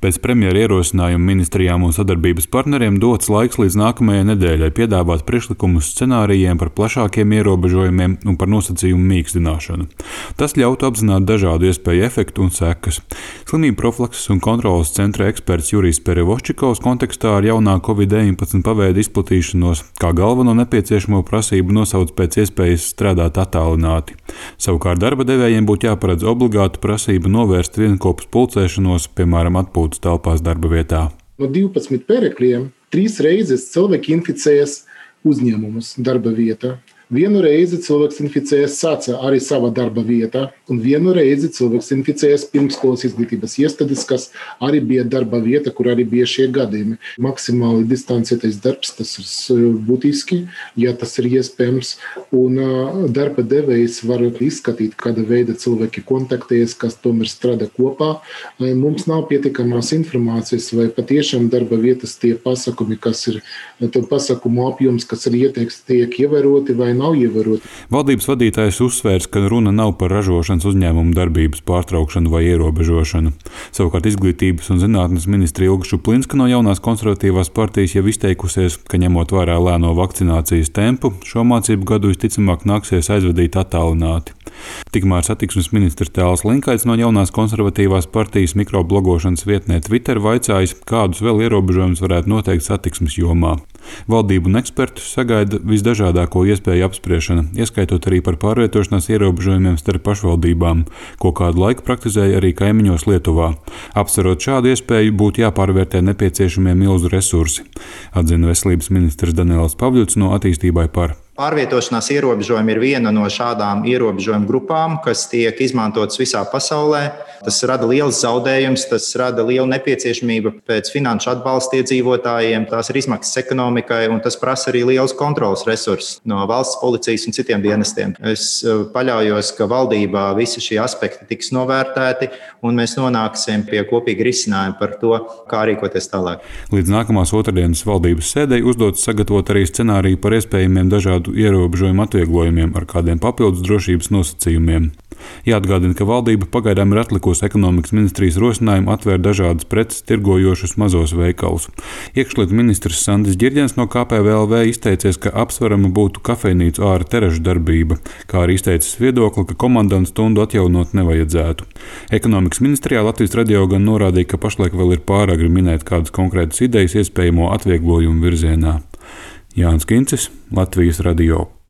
Pēc premjera ierosinājuma ministrijām un sadarbības partneriem dots laiks līdz nākamajai nedēļai piedāvāt priekšlikumus scenārijiem par plašākiem ierobežojumiem un par nosacījumu mīkstināšanu. Tas ļautu apzināt dažādu iespēju efektu un sekas. Slimību profilakses un kontrolas centra eksperts Jurijs Perevoščikovs kontekstā ar jaunā Covid-19 paveida izplatīšanos kā galveno nepieciešamo prasību nosauc pēc iespējas strādāt attālināti. Savukārt darba devējiem būtu jāparedz obligāta prasība novērst vienopus pulcēšanos, piemēram, atpūtas telpās darba vietā. No 12 pērekļiem 3 reizes cilvēki inficējas uzņēmumus darba vietā. Vienu reizi cilvēks inficējas arī savā darba vietā, un vienu reizi cilvēks inficējas pirmskolas izglītības iestādes, kas arī bija darba vieta, kur arī bija šie gadījumi. Maksimāli distancētais darbs, tas ir būtiski, ja tas ir iespējams, un darba devējs var izskatīt, kāda veida cilvēki kontaktējas, kas tomēr strādā kopā. Mums nav pietiekamās informācijas, vai patiešām darba vietas tie pasākumi, kas ir pasākumu apjoms, kas ir ieteikts, tiek ievēroti vai nav ievēroti. Valdības vadītājs uzsvērs, ka runa nav par ražošanas uzņēmumu darbības pārtraukšanu vai ierobežošanu. Savukārt Izglītības un zinātnes ministre Ilga Šuplinska no jaunās konservatīvās partijas jau izteikusies, ka ņemot vērā lēno vakcinācijas tempu, šo mācību gadu visticamāk nāksies aizvadīt attālināti. Tikmēr satiksmes ministrs Tēls Linkaits no jaunās konservatīvās partijas mikroblogošanas vietnē Twitter vaicājis, kādus vēl ierobežojumus varētu noteikt satiksmes jomā. Valdību un ekspertus sagaida visdažādāko iespēju apspriešana, ieskaitot arī par pārvietošanās ierobežojumiem starp pašvaldībām, ko kādu laiku praktizēja arī kaimiņos Lietuvā. Apsverot šādu iespēju, būtu jāpārvērtē nepieciešamie milzu resursi, atzina veselības ministrs Daniels Pavļuts no Attīstībai par. Pārvietošanās ierobežojumi ir viena no šādām ierobežojumu grupām, kas tiek izmantotas visā pasaulē. Tas rada liels zaudējums, tas rada lielu nepieciešamību pēc finanšu atbalsta iedzīvotājiem, tās ir izmaksas ekonomikai un tas prasa arī liels kontrolas resursus no valsts policijas un citiem dienestiem. Es paļaujos, ka valdībā visi šie aspekti tiks novērtēti un mēs nonāksim pie kopīga risinājuma par to, kā rīkoties tālāk. Līdz nākamās otrdienas valdības sēdei uzdots sagatavot arī scenāriju par iespējamiem dažādu ierobežojumu atvieglojumiem ar kādiem papildus drošības nosacījumiem. Jāatgādina, ka valdība pagaidām ir atlikusi ekonomikas ministrijas rosinājumu atvērt dažādas preces tirgojošus mazos veikalus. Iekšlietu ministrs Sandis Ģirģens no KPVLV izteicies, ka apsverama būtu kafejnīcu āra teražu darbība, kā arī izteicis viedokli, ka komandantu stundu atjaunot nevajadzētu. Ekonomikas ministrijā Latvijas radio gan norādīja, ka pašlaik vēl ir pāragri minēt kādas konkrētas idejas iespējamo atvieglojumu virzienā. Jānis Kincis, Latvijas radio.